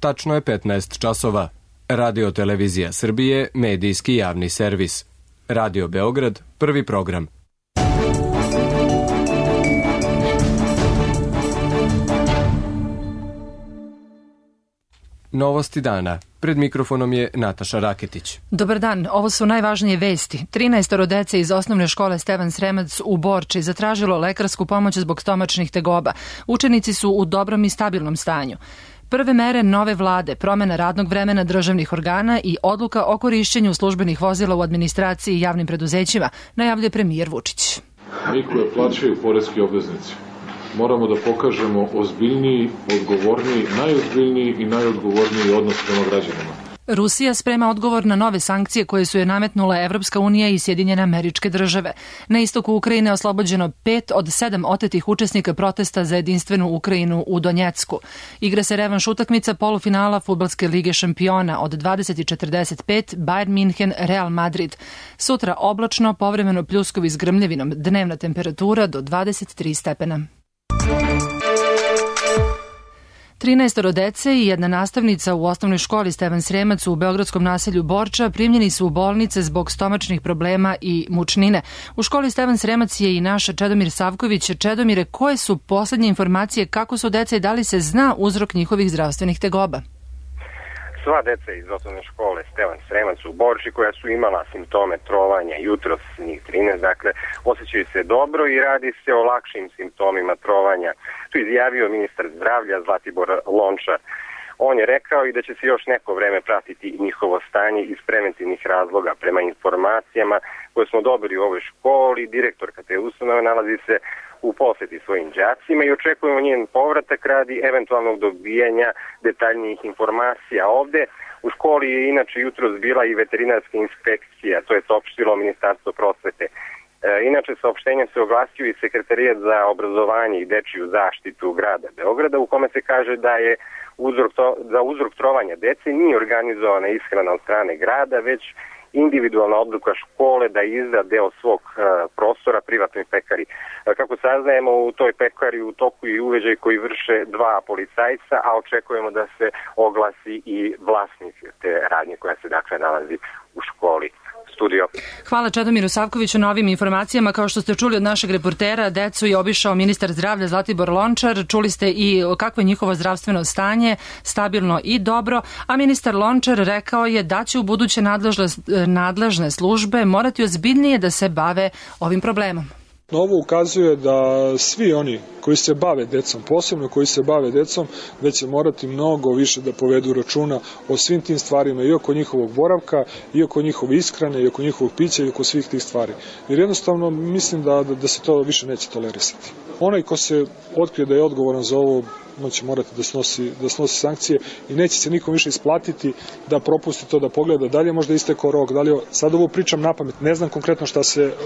Tačno je 15 časova. Radio Televizija Srbije, medijski javni servis. Radio Beograd, prvi program. Novosti dana. Pred mikrofonom je Nataša Raketić. Dobar dan, ovo su najvažnije vesti. 13 dece iz osnovne škole Stevan Sremac u Borči zatražilo lekarsku pomoć zbog stomačnih tegoba. Učenici su u dobrom i stabilnom stanju. Prve mere nove vlade, promena radnog vremena državnih organa i odluka o korišćenju službenih vozila u administraciji i javnim preduzećima, najavljuje premijer Vučić. Mi koje plaćaju poreski obveznici moramo da pokažemo ozbiljniji, odgovorniji, najozbiljniji i najodgovorniji odnos prema građanima. Rusija sprema odgovor na nove sankcije koje su je nametnula Evropska unija i Sjedinjene Američke Države. Na istoku Ukrajine oslobođeno 5 od 7 otetih učesnika protesta za jedinstvenu Ukrajinu u Donjecku. Igra se revanš utakmica polufinala Fudbalske lige šampiona od 20:45 Bayern Minhen Real Madrid. Sutra oblačno, povremeno pljuskovi s grmljavinom, dnevna temperatura do 23 stepena. 13 dece i jedna nastavnica u osnovnoj školi Stevan Sremac u beogradskom naselju Borča primljeni su u bolnice zbog stomačnih problema i mučnine. U školi Stevan Sremac je i naš Čedomir Savković. Čedomire, koje su poslednje informacije, kako su deca i da li se zna uzrok njihovih zdravstvenih tegoba? Sva deca iz osnovne škole Stevan Sremac u Borči koja su imala simptome trovanja jutros, njih 13, dakle, osjećaju se dobro i radi se o lakšim simptomima trovanja. To izjavio ministar zdravlja Zlatibor Lončar. On je rekao i da će se još neko vreme pratiti njihovo stanje iz preventivnih razloga. Prema informacijama koje smo dobili u ovoj školi, direktorka te ustanove nalazi se u poseti svojim đacima i očekujemo njen povratak radi eventualnog dobijanja detaljnijih informacija. Ovde u školi je inače jutros bila i veterinarska inspekcija, to je saopštilo Ministarstvo prosvete. Inače, saopštenjem se oglasio i Sekretarijat za obrazovanje i dečiju zaštitu grada Beograda, u kome se kaže da je za uzrok trovanja dece nije organizovana ishrana od strane grada, već individualna odluka škole da izda deo svog prostora privatnoj pekari. Kako saznajemo, u toj pekari u toku i uveđaj koji vrše 2 policajca, a očekujemo da se oglasi i vlasnik te radnje koja se dakle nalazi u školi. Studio. Hvala Čedomiru Savkoviću na ovim informacijama. Kao što ste čuli od našeg reportera, decu je obišao ministar zdravlja Zlatibor Lončar. Čuli ste i kakvo je njihovo zdravstveno stanje, stabilno i dobro, a ministar Lončar rekao je da će u buduće nadležne službe morati ozbiljnije da se bave ovim problemom. Ovo ukazuje da svi oni koji se bave decom, posebno koji se bave decom, da će morati mnogo više da povedu računa o svim tim stvarima i oko njihovog boravka, i oko njihove ishrane, i oko njihovog pića, i oko svih tih stvari. Jer jednostavno mislim da se to više neće tolerisati. Onaj ko se otkrije da je odgovoran za ovo, on će morati da snosi sankcije i neće se nikom više isplatiti da propusti to da pogleda. Da li je možda istekao rok, da li je, sad ovo pričam napamet, ne znam konkretno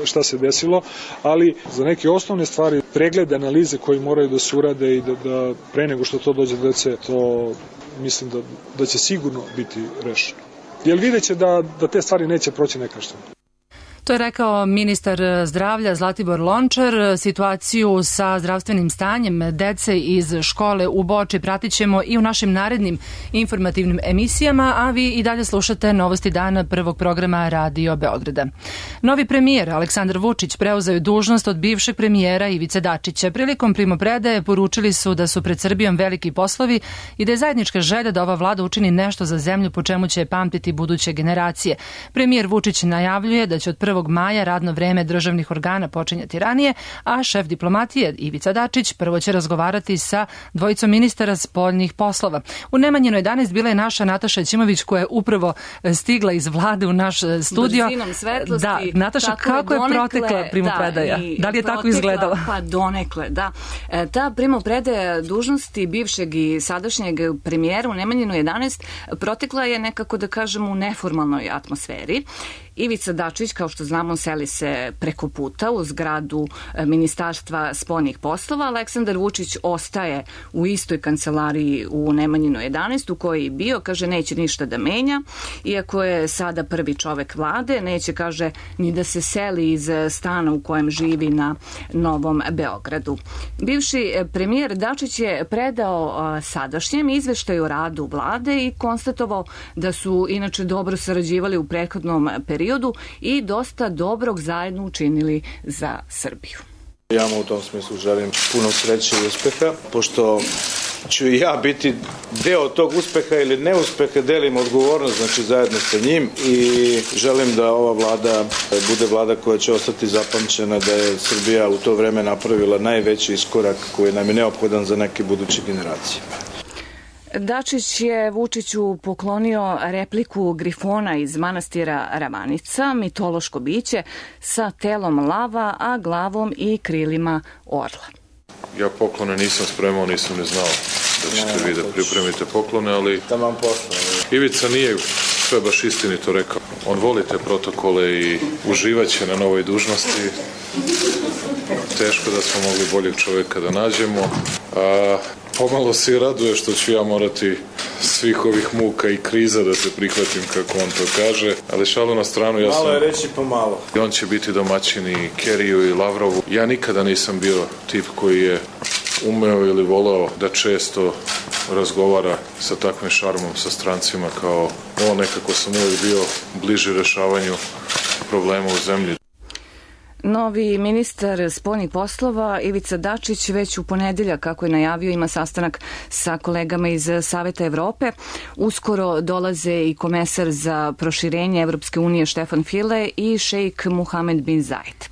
šta se desilo, ali za neke osnovne stvari, preglede, analize koji moraju da se urade i da pre nego što to dođe do dece, to mislim da će sigurno biti rešeno. Jer vidjet će da te stvari neće proći nekažnjeno. To je rekao ministar zdravlja Zlatibor Lončar. Situaciju sa zdravstvenim stanjem dece iz škole u Borči pratit ćemo i u našim narednim informativnim emisijama, a vi i dalje slušate Novosti dana prvog programa Radio Beograda. Novi premijer Aleksandar Vučić preuzeo je dužnost od bivšeg premijera Ivice Dačića. Prilikom primopredaje poručili su da su pred Srbijom veliki poslovi i da je zajednička želja da ova vlada učini nešto za zemlju po čemu će pamtiti buduće generacije. Premijer Vučić najavljuje da će od 1. maja radno vreme državnih organa počinjati ranije, a šef diplomatije Ivica Dačić prvo će razgovarati sa dvojicom ministara spoljnih poslova. U Nemanjinu 11 bila je naša Nataša Ćimović koja je upravo stigla iz vlade u naš studio. Brzinom svetlosti. Da, Nataša, kako je protekla primopredaja? Da li je tako izgledala? Pa donekle, da. Ta primopredaja dužnosti bivšeg i sadašnjeg premijera u Nemanjinu 11 protekla je nekako, da kažem, u neformalnoj atmosferi Ivica Dačić, kao što znamo, seli se preko puta u zgradu Ministarstva spoljnih poslova. Aleksandar Vučić ostaje u istoj kancelariji u Nemanjinoj 11 u kojoj je bio. Kaže, neće ništa da menja. Iako je sada prvi čovek vlade, neće, kaže, ni da se seli iz stana u kojem živi na Novom Beogradu. Bivši premijer Dačić je predao sadašnjem izveštaju o radu vlade i konstatovao da su inače dobro sarađivali u prethodnom periodu i dosta dobrog zajedno učinili za Srbiju. Ja mu u tom smislu želim puno sreće i uspeha, pošto ću i ja biti deo tog uspeha ili neuspeha, delim odgovornost, znači zajedno sa njim, i želim da ova vlada bude vlada koja će ostati zapamćena, da je Srbija u to vreme napravila najveći iskorak koji nam je neophodan za neke buduće generacije. Dačić je Vučiću poklonio repliku grifona iz manastira Ravanica, mitološko biće sa telom lava, a glavom i krilima orla. Ja poklone nisam spremao, nisam ne znao da ćete vi da pripremite poklone, ali Ivica nije sve baš istinito rekao. On voli te protokole i uživaće na novoj dužnosti. Teško da smo mogli boljeg čoveka da nađemo. Pomalo se i raduje što ću ja morati svih ovih muka i kriza da se prihvatim, kako on to kaže. Ali šalu na stranu, ja sam... Malo je reći pomalo. On će biti domaćin i Keriju i Lavrovu. Ja nikada nisam bio tip koji je umeo ili volao da često razgovara sa takvim šarmom sa strancima kao on. Nekako sam uvijek bio bliži rešavanju problema u zemlji. Novi ministar spoljnih poslova Ivica Dačić već u ponedeljak, kako je najavio, ima sastanak sa kolegama iz Saveta Evrope. Uskoro dolaze i komesar za proširenje Evropske unije Štefan File i šejk Muhamed bin Zajed.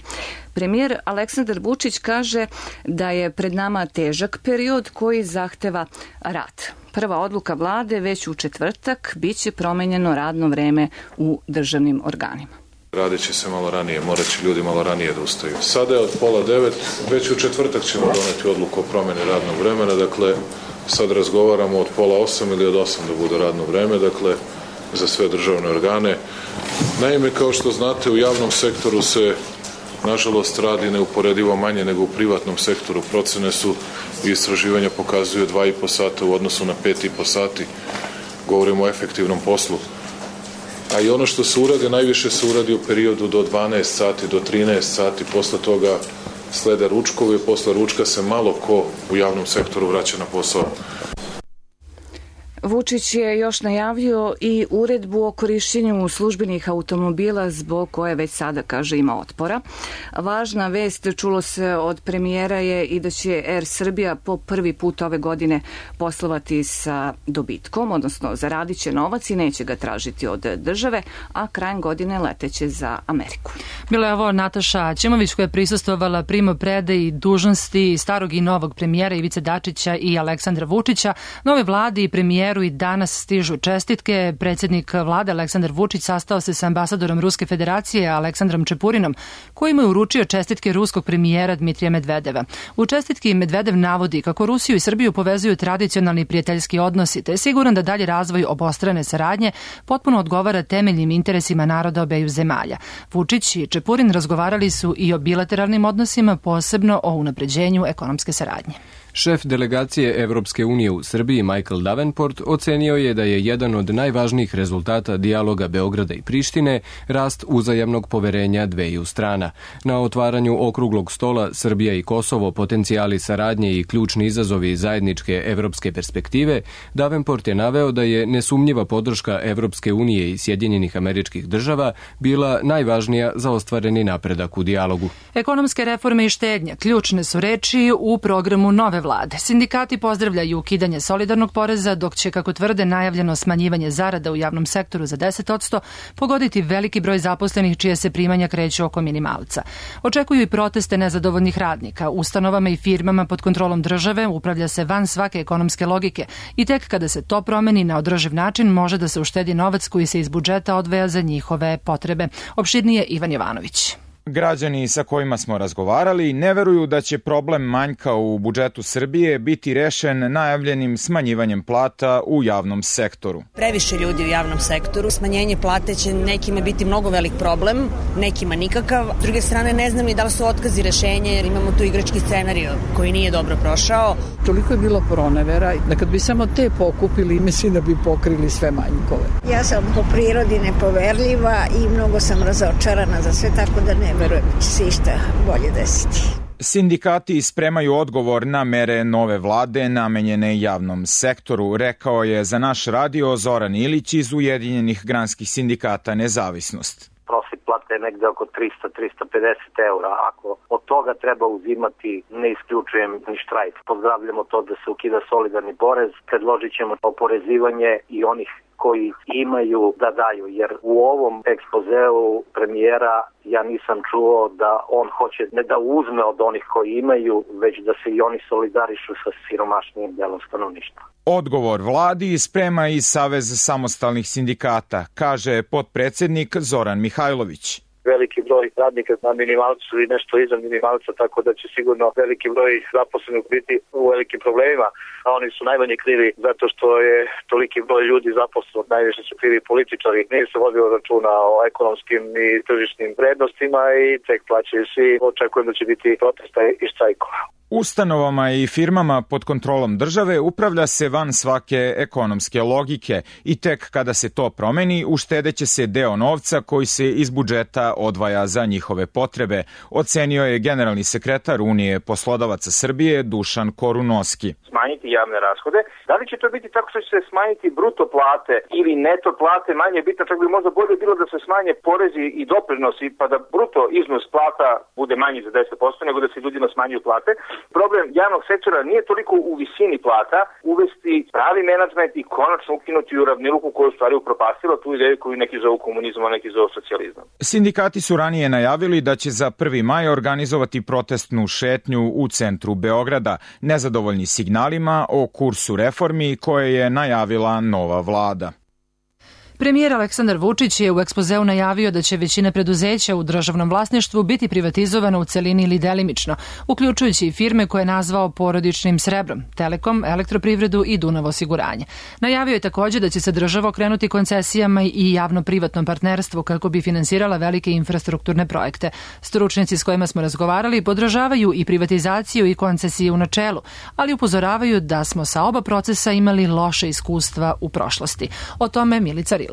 Premijer Aleksandar Vučić kaže da je pred nama težak period koji zahteva rad. Prva odluka vlade već u četvrtak biće promenjeno radno vreme u državnim organima. Radit će se malo ranije, morat će ljudi malo ranije da ustaju. Sada je od 8:30, već u četvrtak ćemo doneti odluku o promjeni radnog vremena, dakle sad razgovaramo od 7:30 ili od 8 da bude radno vreme, dakle za sve državne organe. Naime, kao što znate, u javnom sektoru se nažalost radi neuporedivo manje nego u privatnom sektoru. Procene su i istraživanja pokazuju 2,5 sata u odnosu na 5,5 sati. Govorimo o efektivnom poslu. A i ono što se urade, najviše se uradi u periodu do 12 sati, do 13 sati, posle toga slede ručkovi, posle ručka se malo ko u javnom sektoru vraća na posao. Vučić je još najavio i uredbu o korišćenju službenih automobila zbog koje već sada, kaže, ima otpora. Važna vest, čulo se od premijera, je i da će Air Srbija po prvi put ove godine poslovati sa dobitkom, odnosno zaradit će novac i neće ga tražiti od države, a krajem godine leteće za Ameriku. Bila je ovo Nataša Ćimović koja je prisustvovala primopredaji dužnosti starog i novog premijera Ivice Dačića i Aleksandra Vučića. Nove vlade i premijeru i danas stižu čestitke. Predsjednik vlade Aleksandar Vučić sastao se sa ambasadorom Ruske federacije Aleksandrom Čepurinom, koji mu je uručio čestitke ruskog premijera Dmitrija Medvedeva. U čestitki Medvedev navodi kako Rusiju i Srbiju povezuju tradicionalni prijateljski odnosi, te je siguran da dalje razvoj obostrane saradnje potpuno odgovara temeljnim interesima naroda obeju zemalja. Vučić i Čepurin razgovarali su i o bilateralnim odnosima, posebno o unapređenju ekonomske saradnje. Šef delegacije Evropske unije u Srbiji Michael Davenport ocenio je da je jedan od najvažnijih rezultata dijaloga Beograda i Prištine rast uzajamnog poverenja dveju strana. Na otvaranju okruglog stola Srbija i Kosovo, potencijali saradnje i ključni izazovi zajedničke evropske perspektive, Davenport je naveo da je nesumnjiva podrška Evropske unije i Sjedinjenih Američkih Država bila najvažnija za ostvareni napredak u dijalogu. Ekonomske reforme i štednja ključne su reči u programu nove vlade. Sindikati pozdravljaju ukidanje solidarnog poreza, dok će, kako tvrde, najavljeno smanjivanje zarada u javnom sektoru za 10% pogoditi veliki broj zaposlenih čije se primanja kreću oko minimalca. Očekuju i proteste nezadovoljnih radnika. Ustanovama i firmama pod kontrolom države upravlja se van svake ekonomske logike i tek kada se to promeni na održiv način može da se uštedi novac koji se iz budžeta odvaja za njihove potrebe. Opširnije Ivan Jovanović. Građani sa kojima smo razgovarali ne veruju da će problem manjka u budžetu Srbije biti rešen najavljenim smanjivanjem plata u javnom sektoru. Previše ljudi u javnom sektoru. Smanjenje plate će nekima biti mnogo velik problem, nekima nikakav. S druge strane, ne znam ni da li su otkazi rešenje, jer imamo tu igrački scenario koji nije dobro prošao. Toliko je bilo pronevera da kad bi samo te pokupili, mislim da bi pokrili sve manjkove. Ja sam po prirodi nepoverljiva i mnogo sam razočarana za sve, tako da ne verujem da će se išta bolje desiti. Sindikati spremaju odgovor na mere nove vlade namenjene javnom sektoru, rekao je za naš radio Zoran Ilić iz Ujedinjenih granskih sindikata Nezavisnost. Prosjek plate je negde oko 300-350 eura. Ako od toga treba uzimati, ne isključujem ni štrajk. Pozdravljamo to da se ukida solidarni porez, predložit ćemo oporezivanje i onih koji imaju da daju, jer u ovom ekspozeu premijera ja nisam čuo da on hoće ne da uzme od onih koji imaju, već da se i oni solidarišu sa siromašnijim delom stanovništva. Odgovor vladi sprema i Savez samostalnih sindikata, kaže potpredsednik Zoran Mihajlović. Veliki broj radnika na minimalcu i nešto iza minimalca, tako da će sigurno veliki broj zaposlenih biti u velikim problemima, a oni su najmanje krivi zato što je toliki broj ljudi zaposlen, najviše su krivi političari, nije se vodio računa o ekonomskim i tržišnim vrednostima i tek plaćaju svi, očekujem da će biti protesta i štrajkova. Ustanovama i firmama pod kontrolom države upravlja se van svake ekonomske logike i tek kada se to promeni uštedeće se deo novca koji se iz budžeta odvaja za njihove potrebe, ocenio je generalni sekretar Unije poslodavaca Srbije Dušan Korunoski. Smanjiti javne rashode. Da li će to biti tako što će se smanjiti bruto plate ili neto plate, manje bitno, čak bi možda bolje bilo da se smanje porezi i doprinosi pa da bruto iznos plata bude manji za 10%, nego da se ljudima smanjuju plate. Problem javnog sektora nije toliko u visini plata, uvesti pravi menadžment i konačno ukinuti uravnilovku koju stvari upropastila tu ideju koju neki zovu komunizam, a neki zovu socijalizam. Sindikati su ranije najavili da će za 1. maj organizovati protestnu šetnju u centru Beograda, nezadovoljni signalima o kursu reformi koje je najavila nova vlada. Premijer Aleksandar Vučić je u ekspozeu najavio da će većina preduzeća u državnom vlasništvu biti privatizovana u celini ili delimično, uključujući i firme koje je nazvao porodičnim srebrom, Telekom, Elektroprivredu i Dunav osiguranje. Najavio je takođe da će se država okrenuti koncesijama i javno-privatnom partnerstvu kako bi finansirala velike infrastrukturne projekte. Stručnjaci s kojima smo razgovarali podržavaju i privatizaciju i koncesije u načelu, ali upozoravaju da smo sa oba procesa imali loše iskustva u prošlosti. O tome Milica Rilak.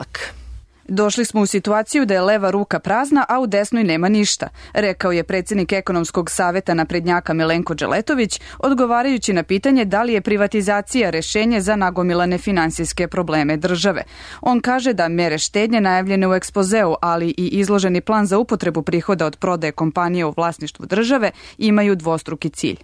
Došli smo u situaciju da je leva ruka prazna, a u desnoj nema ništa, rekao je predsjednik ekonomskog saveta naprednjaka Milenko Dželetović, odgovarajući na pitanje da li je privatizacija rešenje za nagomilane finansijske probleme države. On kaže da mere štednje najavljene u ekspozeu, ali i izloženi plan za upotrebu prihoda od prodaje kompanije u vlasništvu države imaju dvostruki cilj.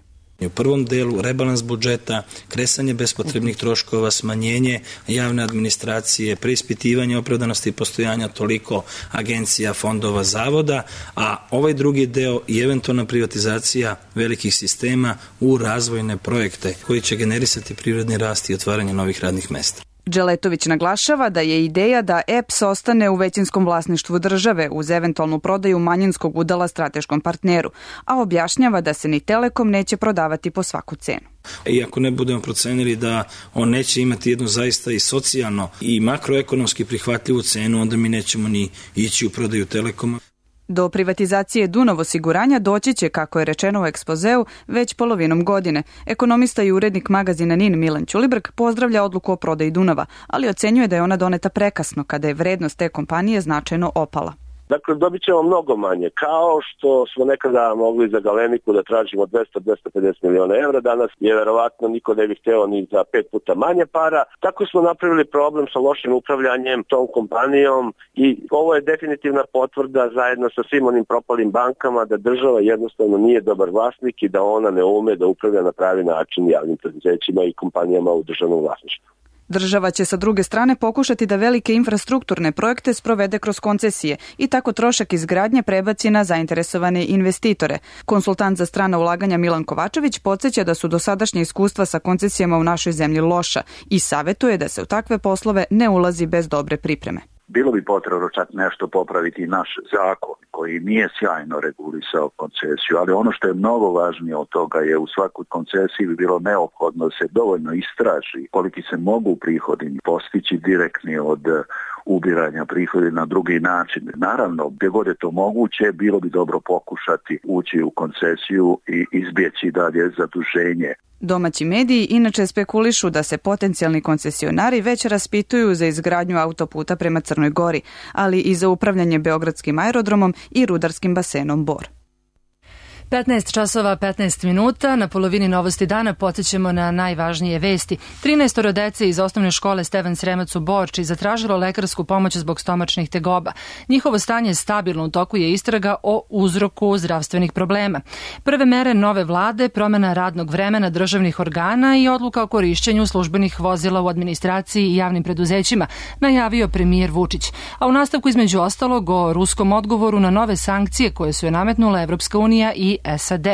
U prvom delu rebalans budžeta, kresanje bespotrebnih troškova, smanjenje javne administracije, preispitivanje opravdanosti postojanja toliko agencija, fondova, zavoda, a ovaj drugi deo i eventualna privatizacija velikih sistema u razvojne projekte koji će generisati privredni rast i otvaranje novih radnih mesta. Dželetović naglašava da je ideja da EPS ostane u većinskom vlasništvu države uz eventualnu prodaju manjinskog udela strateškom partneru, a objašnjava da se ni Telekom neće prodavati po svaku cenu. I ako ne budemo procenili da on neće imati jednu zaista i socijalno i makroekonomski prihvatljivu cenu, onda mi nećemo ni ići u prodaju Telekoma. Do privatizacije Dunav osiguranja doći će, kako je rečeno u ekspozeu, već polovinom godine. Ekonomista i urednik magazina NIN Milan Ćulibrk pozdravlja odluku o prodaji Dunava, ali ocenjuje da je ona doneta prekasno kada je vrednost te kompanije značajno opala. Dakle, dobit ćemo mnogo manje. Kao što smo nekada mogli za Galeniku da tražimo 200-250 miliona evra, danas je verovatno niko ne bi hteo ni za 5 puta manje para. Tako smo napravili problem sa lošim upravljanjem tom kompanijom i ovo je definitivna potvrda zajedno sa svim onim propalim bankama da država jednostavno nije dobar vlasnik i da ona ne ume da upravlja na pravi način javnim preduzećima i kompanijama u državnom vlasništvu. Država će sa druge strane pokušati da velike infrastrukturne projekte sprovede kroz koncesije i tako trošak izgradnje prebaci na zainteresovane investitore. Konsultant za strana ulaganja Milan Kovačević podsjeća da su dosadašnje iskustva sa koncesijama u našoj zemlji loša i savetuje da se u takve poslove ne ulazi bez dobre pripreme. Bilo bi potrebno čak nešto popraviti naš zakon koji nije sjajno regulisao koncesiju, ali ono što je mnogo važnije od toga je u svakoj koncesiji bi bilo neophodno da se dovoljno istraži koliki se mogu prihodi postići direktni od ubiranja prihoda na drugi način. Naravno, gdje god je to moguće, bilo bi dobro pokušati ući u koncesiju i izbjeći dalje zaduženje. Domaći mediji inače spekulišu da se potencijalni koncesionari već raspituju za izgradnju autoputa prema Crnoj Gori, ali i za upravljanje Beogradskim aerodromom i rudarskim basenom Bor. 15 časova 15 minuta, na polovini Novosti dana podsjećamo na najvažnije vesti. 13 dece iz osnovne škole Stevan Sremac u Borči zatražilo lekarsku pomoć zbog stomačnih tegoba. Njihovo stanje je stabilno, u toku je istraga o uzroku zdravstvenih problema. Prve mere nove vlade, promjena radnog vremena državnih organa i odluka o korišćenju službenih vozila u administraciji i javnim preduzećima, najavio premijer Vučić. A u nastavku između ostalog o ruskom odgovoru na nove sankcije koje su je nametnula Evropska unija i SAD.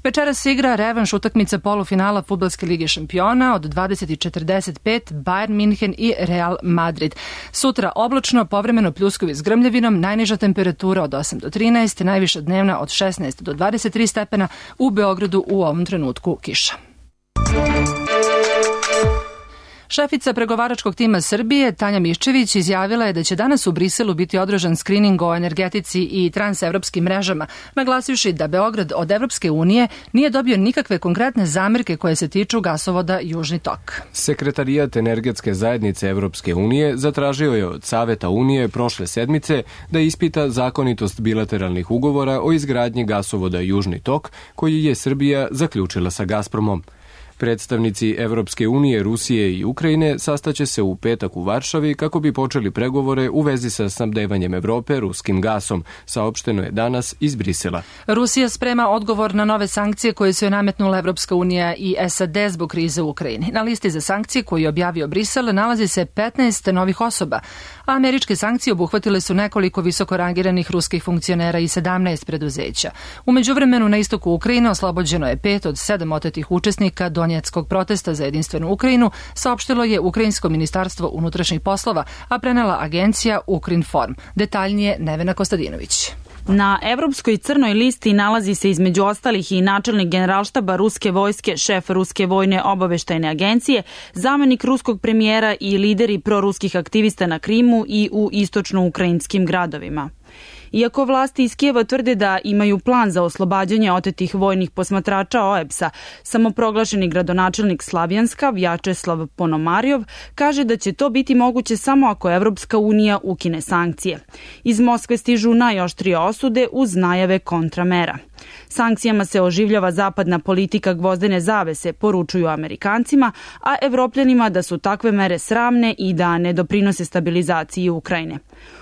Večeras se igra revanš utakmica polufinala Fudbalske lige šampiona od 20:45 Bayern Minhen i Real Madrid. Sutra oblačno, povremeno pljuskovi s grmljavinom, najniža temperatura od 8 do 13, najviša dnevna od 16 do 23 stepena, u Beogradu u ovom trenutku kiša. Šefica pregovaračkog tima Srbije, Tanja Miščević, izjavila je da će danas u Briselu biti održan skrining o energetici i transevropskim mrežama, naglasivši da Beograd od Evropske unije nije dobio nikakve konkretne zamerke koje se tiču gasovoda Južni tok. Sekretarijat energetske zajednice Evropske unije zatražio je od Saveta Unije prošle sedmice da ispita zakonitost bilateralnih ugovora o izgradnji gasovoda Južni tok, koji je Srbija zaključila sa Gazpromom. Predstavnici Evropske unije, Rusije i Ukrajine sastaće se u petak u Varšavi kako bi počeli pregovore u vezi sa snabdevanjem Evrope ruskim gasom, saopšteno je danas iz Brisela. Rusija sprema odgovor na nove sankcije koje su je nametnula Evropska unija i SAD zbog krize u Ukrajini. Na listi za sankcije koju je objavio Brisel nalazi se 15 novih osoba, a američke sankcije obuhvatile su nekoliko visoko rangiranih ruskih funkcionera i 17 preduzeća. U međuvremenu na istoku Ukrajine oslobođeno je 5 od 7 otetih učesnika Donjeckog protesta za jedinstvenu Ukrajinu, saopštilo je Ukrajinsko ministarstvo unutrašnjih poslova, a prenela agencija Ukrinform. Detaljnije Nevena Kostadinović. Na evropskoj crnoj listi nalazi se između ostalih i načelnik generalštaba ruske vojske, šef ruske vojne obaveštajne agencije, zamenik ruskog premijera i lideri proruskih aktivista na Krimu i u istočno-ukrajinskim gradovima. Iako vlasti iz Kijeva tvrde da imaju plan za oslobađanje otetih vojnih posmatrača OEBS-a, samoproglašeni gradonačelnik Slavjanska, Vjačeslav Ponomarjov, kaže da će to biti moguće samo ako Evropska unija ukine sankcije. Iz Moskve stižu najoštrije osude uz najave kontramera. Sankcijama se oživljava zapadna politika gvozdene zavese, poručuju Amerikancima, a Evropljanima da su takve mere sramne i da ne doprinose stabilizaciji Ukrajine.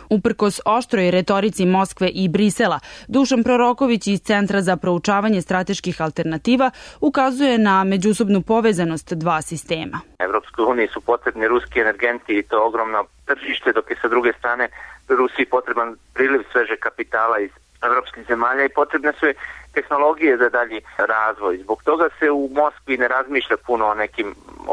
Uprkos oštroj retorici Moskve i Brisela, Dušan Proroković iz Centra za proučavanje strateških alternativa ukazuje na međusobnu povezanost dva sistema. Evropskoj uniji su potrebni ruski energenti i to ogromno tržište, dok je sa druge strane Rusiji potreban priliv sveže kapitala iz evropskih zemalja i potrebne su tehnologije za dalji razvoj. Zbog toga se u Moskvi ne razmišlja puno o nekim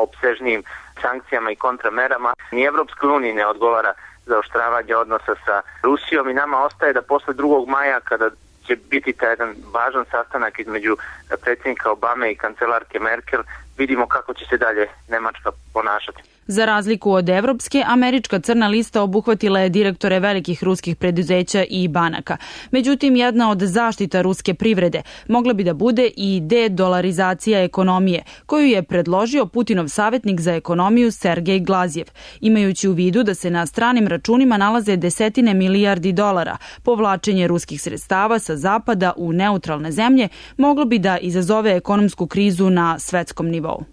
opsežnijim sankcijama i kontramerama. Ni Evropskoj uniji ne odgovara zaoštravanje odnosa sa Rusijom i nama ostaje da posle 2. maja, kada će biti taj jedan važan sastanak između predsjednika Obame i kancelarke Merkel, vidimo kako će se dalje Nemačka ponašati. Za razliku od evropske, američka crna lista obuhvatila je direktore velikih ruskih preduzeća i banaka. Međutim, jedna od zaštita ruske privrede mogla bi da bude i dedolarizacija ekonomije, koju je predložio Putinov savjetnik za ekonomiju Sergej Glazjev, imajući u vidu da se na stranim računima nalaze desetine milijardi dolara. Povlačenje ruskih sredstava sa zapada u neutralne zemlje moglo bi da izazove ekonomsku krizu na svetskom nivou.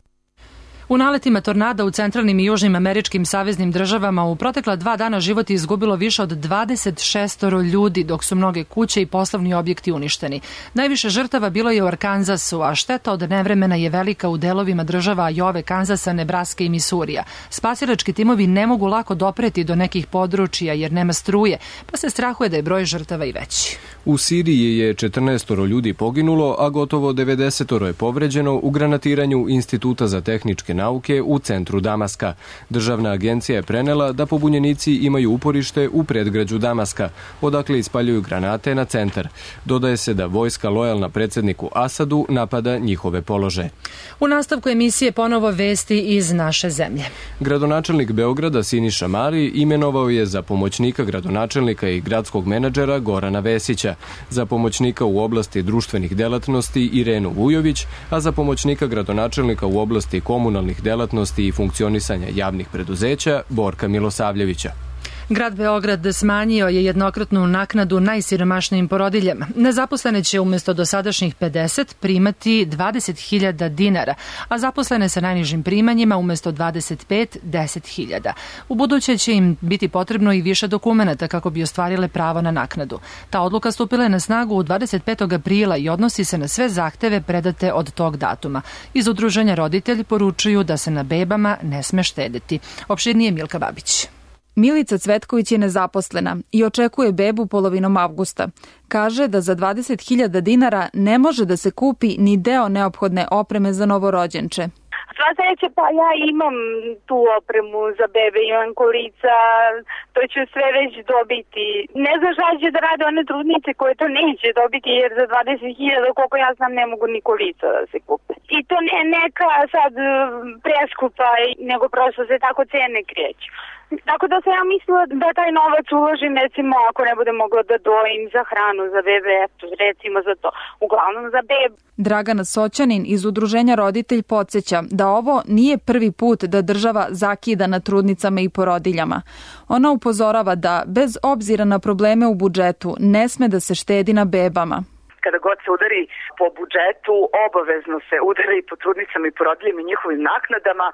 U naletima tornada u centralnim i južnim američkim saveznim državama u protekla 2 dana život je izgubilo više od 26 ljudi, dok su mnoge kuće i poslovni objekti uništeni. Najviše žrtava bilo je u Arkansasu, a šteta od nevremena je velika u delovima država Ajove, Kanzasa, Nebraske i Misurija. Spasilački timovi ne mogu lako dopreti do nekih područja jer nema struje, pa se strahuje da je broj žrtava i veći. U Siriji je 14 ljudi poginulo, a gotovo 90 je povređeno u granatiranju Instituta za tehničke nauke u centru Damaska. Državna agencija je prenela da pobunjenici imaju uporište u predgrađu Damaska, odakle ispaljuju granate na centar. Dodaje se da vojska lojalna predsjedniku Asadu napada njihove položaje. U nastavku emisije ponovo vesti iz naše zemlje. Gradonačelnik Beograda Siniša Mali imenovao je za pomoćnika gradonačelnika i gradskog menadžera Gorana Vesića, za pomoćnika u oblasti društvenih delatnosti Irenu Vujović, a za pomoćnika gradonačelnika u oblasti komunalnih delatnosti i funkcionisanja javnih preduzeća Borka Milosavljevića. Grad Beograd smanjio je jednokratnu naknadu najsiromašnijim porodiljama. Nezaposlene će umjesto dosadašnjih 50 primati 20.000 dinara, a zaposlene sa najnižim primanjima umjesto 25 10.000. U buduće će im biti potrebno i više dokumenata kako bi ostvarile pravo na naknadu. Ta odluka stupila je na snagu 25. aprila i odnosi se na sve zahteve predate od tog datuma. Iz udruženja roditelji poručuju da se na bebama ne sme štedeti. Opširnije Milka Babić. Milica Cvetković je nezaposlena i očekuje bebu polovinom avgusta. Kaže da za 20.000 dinara ne može da se kupi ni deo neophodne opreme za novorođenče. Sva sreća, pa ja imam tu opremu za bebe, imam kolica, to ću sve već dobiti. Ne znam šta će da rade one trudnice koje to neće dobiti, jer za 20.000, koliko ja znam, ne mogu ni kolica da se kupe. I to ne neka sad preskupa, nego prosto se tako cene kreću. Tako da sam ja mislila da taj novac uložim, recimo, ako ne bude mogla da dojim za hranu, za bebe, recimo za to, uglavnom za bebe. Dragana Soćanin iz udruženja Roditelj podsjeća da ovo nije prvi put da država zakida na trudnicama i porodiljama. Ona upozorava da, bez obzira na probleme u budžetu, ne sme da se štedi na bebama. Kada god se udari po budžetu, obavezno se udari po trudnicama i porodiljama i njihovim naknadama.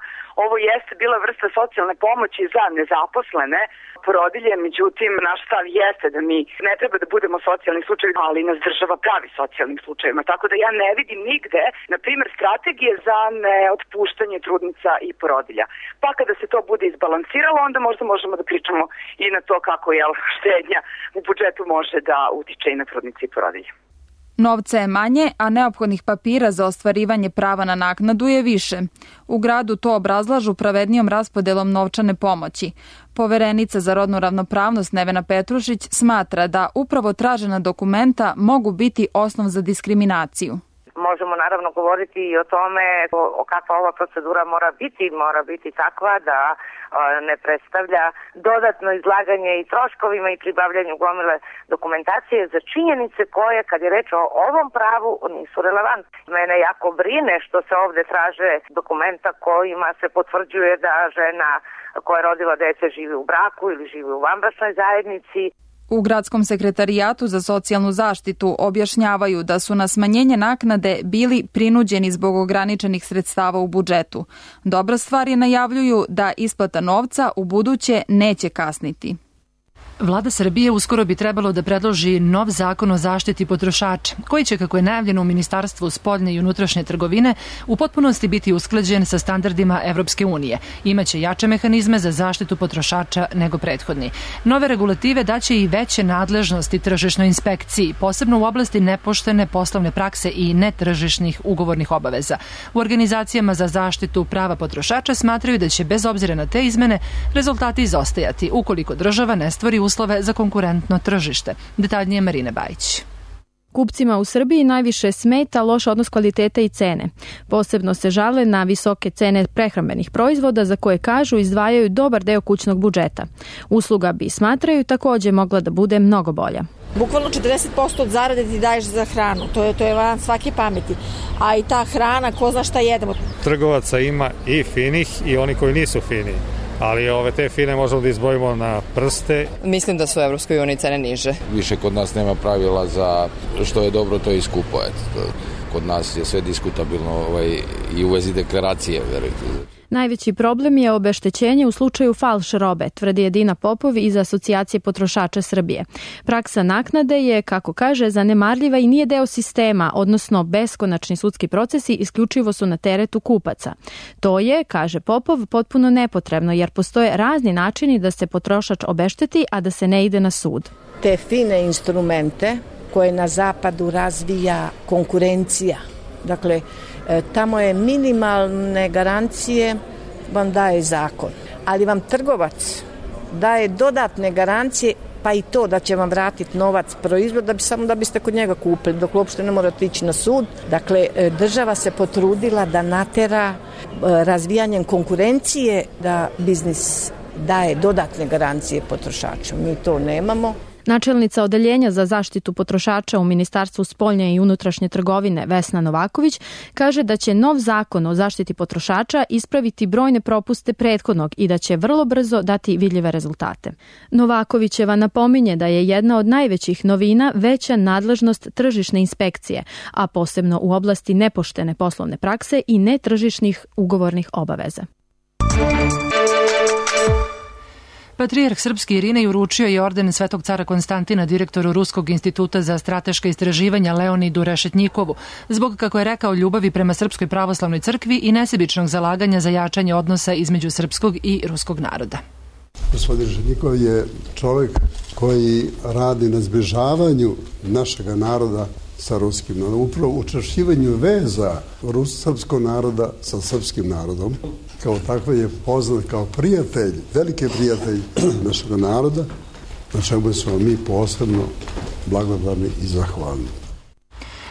Ovo jeste bila vrsta socijalne pomoći za nezaposlene porodilje, međutim, naš stav jeste da mi ne treba da budemo socijalni slučajevi, ali nas država pravi socijalnim slučajevima. Tako da ja ne vidim nigde, na primjer, strategije za neotpuštanje trudnica i porodilja. Pa kada se to bude izbalansiralo, onda možda možemo da pričamo i na to kako štednja u budžetu može da utiče i na trudnice i porodilje. Novca je manje, a neophodnih papira za ostvarivanje prava na naknadu je više. U gradu to obrazlažu pravednijom raspodelom novčane pomoći. Poverenica za rodnu ravnopravnost Nevena Petrušić smatra da upravo tražena dokumenta mogu biti osnov za diskriminaciju. Možemo naravno govoriti i o tome kakva ova procedura mora biti takva da ne predstavlja dodatno izlaganje i troškovima i pribavljanju gomile dokumentacije za činjenice koje, kad je reč o ovom pravu, nisu relevantne. Mene jako brine što se ovde traže dokumenta kojima se potvrđuje da žena koja je rodila dete živi u braku ili živi u vanbračnoj zajednici. U Gradskom sekretarijatu za socijalnu zaštitu objašnjavaju da su na smanjenje naknade bili prinuđeni zbog ograničenih sredstava u budžetu. Dobra stvar je, najavljuju da isplata novca u buduće neće kasniti. Vlada Srbije uskoro bi trebalo da predloži nov zakon o zaštiti potrošača, koji će, kako je najavljeno u Ministarstvu spoljne i unutrašnje trgovine, u potpunosti biti usklađen sa standardima Evropske unije. Imaće jače mehanizme za zaštitu potrošača nego prethodni. Nove regulative daće i veće nadležnosti tržišnoj inspekciji, posebno u oblasti nepoštene poslovne prakse i netržišnih ugovornih obaveza. U organizacijama za zaštitu prava potrošača smatraju da će, bez obzira na te izmene, rezultati izostajati ukoliko država ne stvori uslove za konkurentno tržište. Detaljnije Marina Bajić. Kupcima u Srbiji najviše smeta loš odnos kvaliteta i cene. Posebno se žale na visoke cene prehrambenih proizvoda za koje, kažu, izdvajaju dobar deo kućnog budžeta. Usluga bi, smatraju, takođe mogla da bude mnogo bolja. Bukvalno 40% od zarade ti daješ za hranu, to je van svake pameti. A i ta hrana, ko zna šta jedemo. Trgovaca ima i finih i oni koji nisu fini. Ali te fine možemo da izbojimo na prste. Mislim da su u Evropskoj uniji cene niže. Više kod nas nema pravila za što je dobro, to je i skupo. Kod nas je sve diskutabilno i u vezi deklaracije, verujte. Najveći problem je obeštećenje u slučaju falš robe, tvrdi Edina Popov iz Asocijacije potrošača Srbije. Praksa naknade je, kako kaže, zanemarljiva i nije deo sistema, odnosno beskonačni sudski procesi isključivo su na teretu kupaca. To je, kaže Popov, potpuno nepotrebno, jer postoje razni načini da se potrošač obešteti, a da se ne ide na sud. Te fine instrumente koje na zapadu razvija konkurencija Dakle, tamo je minimalne garancije vam daje zakon, ali vam trgovac daje dodatne garancije, pa i to da će vam vratiti novac proizvod samo da biste kod njega kupili, dok uopšte ne morate ići na sud. Dakle, država se potrudila da natera razvijanjem konkurencije da biznis daje dodatne garancije potrošaču. Mi to nemamo. Načelnica Odeljenja za zaštitu potrošača u Ministarstvu spoljne i unutrašnje trgovine Vesna Novaković kaže da će nov zakon o zaštiti potrošača ispraviti brojne propuste prethodnog i da će vrlo brzo dati vidljive rezultate. Novakovićeva napominje da je jedna od najvećih novina veća nadležnost tržišne inspekcije, a posebno u oblasti nepoštene poslovne prakse i netržišnih ugovornih obaveza. Patrijarh srpski Irinej uručio je orden Svetog cara Konstantina direktoru Ruskog instituta za strateška istraživanja Leonidu Rešetnjikovu, zbog, kako je rekao, ljubavi prema Srpskoj pravoslavnoj crkvi i nesebičnog zalaganja za jačanje odnosa između srpskog i ruskog naroda. Gospodin Rešetnjikov je čovjek koji radi na zbližavanju našega naroda sa ruskim narodom, upravo učvršćivanju veza srpskog naroda sa srpskim narodom. Kao takva je poznat kao prijatelj, veliki prijatelj našeg naroda, na čemu smo mi posebno blagodarni i zahvalni.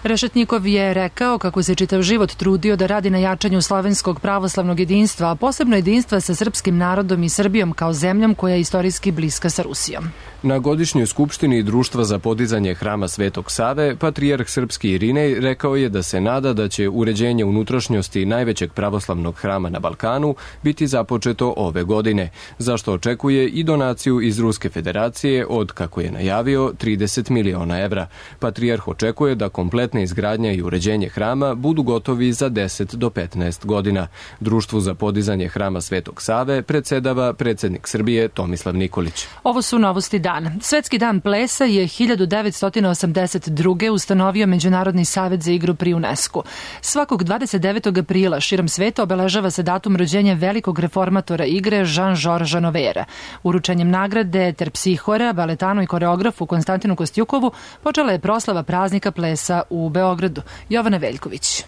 Rešetnjikov je rekao kako se čitav život trudio da radi na jačanju slovenskog pravoslavnog jedinstva, a posebno jedinstva sa srpskim narodom i Srbijom kao zemljom koja je istorijski bliska sa Rusijom. Na godišnjoj skupštini Društva za podizanje Hrama Svetog Save, patrijarh srpski Irinej rekao je da se nada da će uređenje unutrašnjosti najvećeg pravoslavnog hrama na Balkanu biti započeto ove godine, za što očekuje i donaciju iz Ruske federacije od, kako je najavio, 30 miliona evra. Patrijarh očekuje da kompletna izgradnja i uređenje hrama budu gotovi za 10 do 15 godina. Društvu za podizanje Hrama Svetog Save predsedava predsednik Srbije Tomislav Nikolić. Ovo su novosti dana. Svetski dan plesa je 1982. ustanovio Međunarodni savet za igru pri UNESCO. Svakog 29. aprila širom sveta obeležava se datum rođenja velikog reformatora igre Jean-Georges Novera. Uručenjem nagrade terpsihora, baletanu i koreografu Konstantinu Kostjukovu počela je proslava praznika plesa u Beogradu. Jovana Veljković.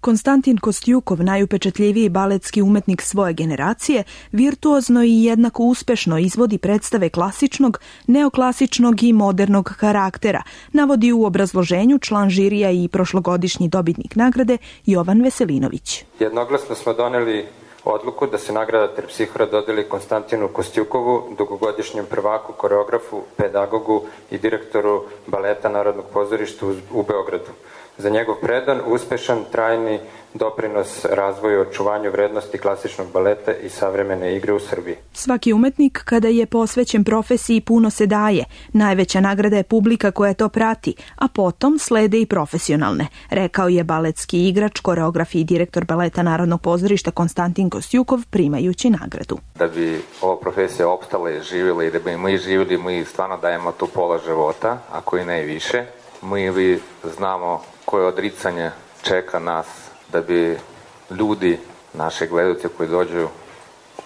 Konstantin Kostjukov, najupečatljiviji baletski umetnik svoje generacije, virtuozno i jednako uspešno izvodi predstave klasičnog, neoklasičnog i modernog karaktera, navodi u obrazloženju član žirija i prošlogodišnji dobitnik nagrade Jovan Veselinović. Jednoglasno smo doneli odluku da se nagrada terpsihora dodeli Konstantinu Kostjukovu, dugogodišnjem prvaku, koreografu, pedagogu i direktoru baleta Narodnog pozorišta u Beogradu. Za njegov predan, uspešan, trajni doprinos razvoju i očuvanju vrednosti klasičnog baleta i savremene igre u Srbiji. Svaki umetnik kada je posvećen profesiji puno se daje. Najveća nagrada je publika koja to prati, a potom slede i profesionalne, rekao je baletski igrač, koreograf i direktor baleta Narodnog pozorišta Konstantin Kostjukov primajući nagradu. Da bi ova profesija opstala i živjela i da bi mi živjeli, mi stvarno dajemo tu pola života, ako i ne više. Mi znamo koje odricanje čeka nas da bi ljudi, naše gledalce koji dođu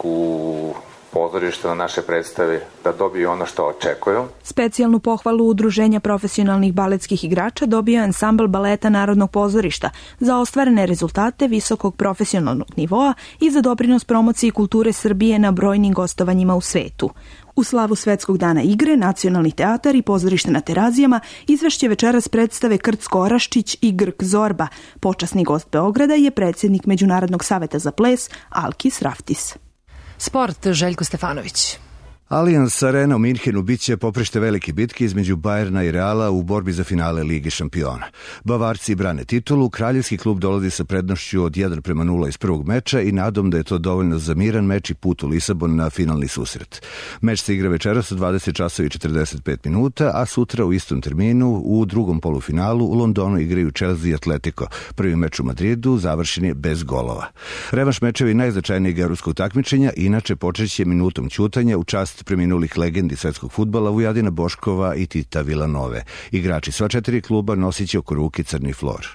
u pozorište na naše predstave, da dobiju ono što očekuju. Specijalnu pohvalu Udruženja profesionalnih baletskih igrača dobio ansambl baleta Narodnog pozorišta za ostvarene rezultate visokog profesionalnog nivoa i za doprinos promociji kulture Srbije na brojnim gostovanjima u svetu. U slavu Svetskog dana igre, Nacionalni teatar i pozorište na Terazijama izvešće večeras predstave Krcko Oraščić i Grk Zorba. Počasni gost Beograda je predsjednik Međunarodnog saveta za ples Alkis Raftis. Sport, Željko Stefanović. Allianz Arena u Minhenu biće poprište velike bitke između Bajerna i Reala u borbi za finale Lige šampiona. Bavarci brane titulu, kraljevski klub dolazi sa prednošću od 1:0 iz prvog meča i nadom da je to dovoljno za miran meč i put u Lisabon na finalni susret. Meč se igra večeras u 20:45, a sutra u istom terminu u drugom polufinalu u Londonu igraju Chelsea i Atletico. Prvi meč u Madridu završen je bez golova. Revanš mečevi najznačajnijeg evropskog takmičenja inače počeće minutom ćutanja u čast preminulih legendi svetskog fudbala Vujadina Boškova i Tita Vilanove. Igrači sva 4 kluba nosiće oko ruke crni flor.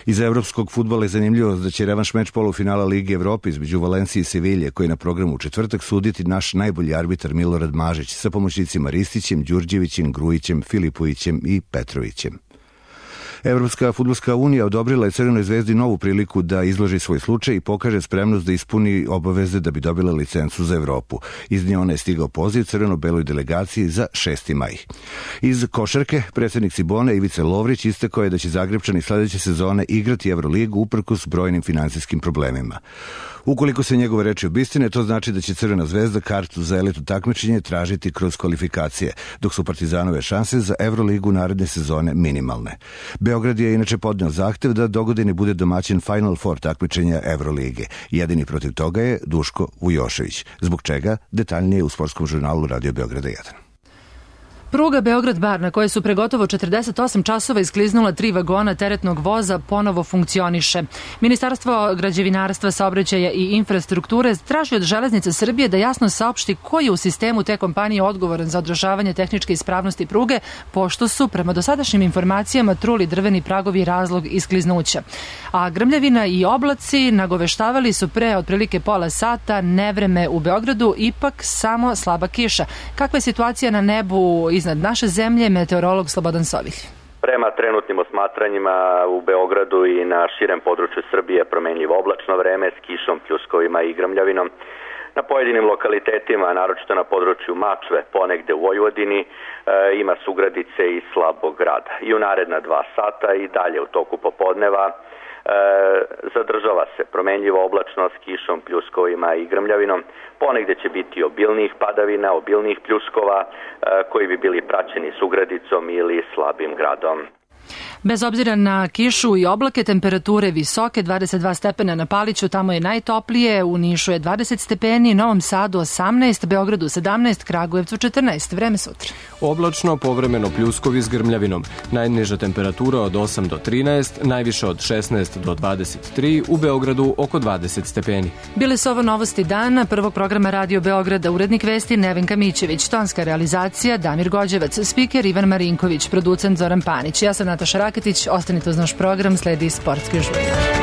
Iz evropskog fudbala je zanimljivo da će revanš meč polufinala Lige Evrope između Valencije i Sevilje, koji je na programu u četvrtak, suditi naš najbolji arbitar Milorad Mažić sa pomoćnicima Ristićem, Đurđevićem, Grujićem, Filipovićem i Petrovićem. Evropska fudbalska unija odobrila je Crvenoj zvezdi novu priliku da izloži svoj slučaj i pokaže spremnost da ispuni obaveze da bi dobila licencu za Evropu. Iz nje ona je stigao poziv crveno-beloj delegaciji za 6. maj. Iz košarke, predsjednik Cibone Ivica Lovrić istakao je da će Zagrebčani sledeće sezone igrati Evroligu uprkos brojnim finansijskim problemima. Ukoliko se njegove reči obistine, to znači da će Crvena zvezda kartu za elitu takmičenje tražiti kroz kvalifikacije, dok su Partizanove šanse za Evroligu naredne sezone minimalne. Beograd je inače podneo zahtev da dogodine bude domaćin Final Four takmičenja Evrolige. Jedini protiv toga je Duško Vujošević, zbog čega detaljnije u sportskom žurnalu Radio Beograda 1. Pruga Beograd-Bar, na kojoj su pre gotovo 48 časova iskliznula 3 vagona teretnog voza, ponovo funkcioniše. Ministarstvo građevinarstva, saobraćaja i infrastrukture traži od Železnice Srbije da jasno saopšti ko je u sistemu te kompanije odgovoran za održavanje tehničke ispravnosti pruge, pošto su, prema dosadašnjim informacijama, truli drveni pragovi razlog iskliznuća. A grmljavina i oblaci nagoveštavali su pre otprilike pola sata nevreme u Beogradu, ipak samo slaba kiša. Kakva je situacija na nebu iznad naše zemlje, meteorolog Slobodan Sovilj? Prema trenutnim osmatranjima u Beogradu i na širem području Srbije promenljivo oblačno vreme s kišom, pljuskovima i grmljavinom. Na pojedinim lokalitetima, naročito na području Mačve, ponegde u Vojvodini, ima sugradice i slabog grada. I u naredna 2 sata i dalje u toku popodneva zadržava se promenljivo oblačno s kišom, pljuskovima i grmljavinom. Ponegde će biti obilnih padavina, obilnih pljuskova koji bi bili praćeni sugradicom ili slabim gradom. Bez obzira na kišu i oblake, temperature visoke, 22 stepena na Paliću, tamo je najtoplije, u Nišu je 20 stepeni, Novom Sadu 18, Beogradu 17, Kragujevcu 14. Vreme sutra. Oblačno, povremeno pljuskovi s grmljavinom. Najniža temperatura od 8 do 13, najviša od 16 do 23, u Beogradu oko 20 stepeni. Bile su ovo novosti dana, prvog programa Radio Beograda, urednik vesti Nevenka Mićević, tonska realizacija Damir Gođevac, spiker Ivan Marinković, producent Zoran Panić. Ja sam Nataša Raketić, ostanite uz naš program, sledi sportski žurnal.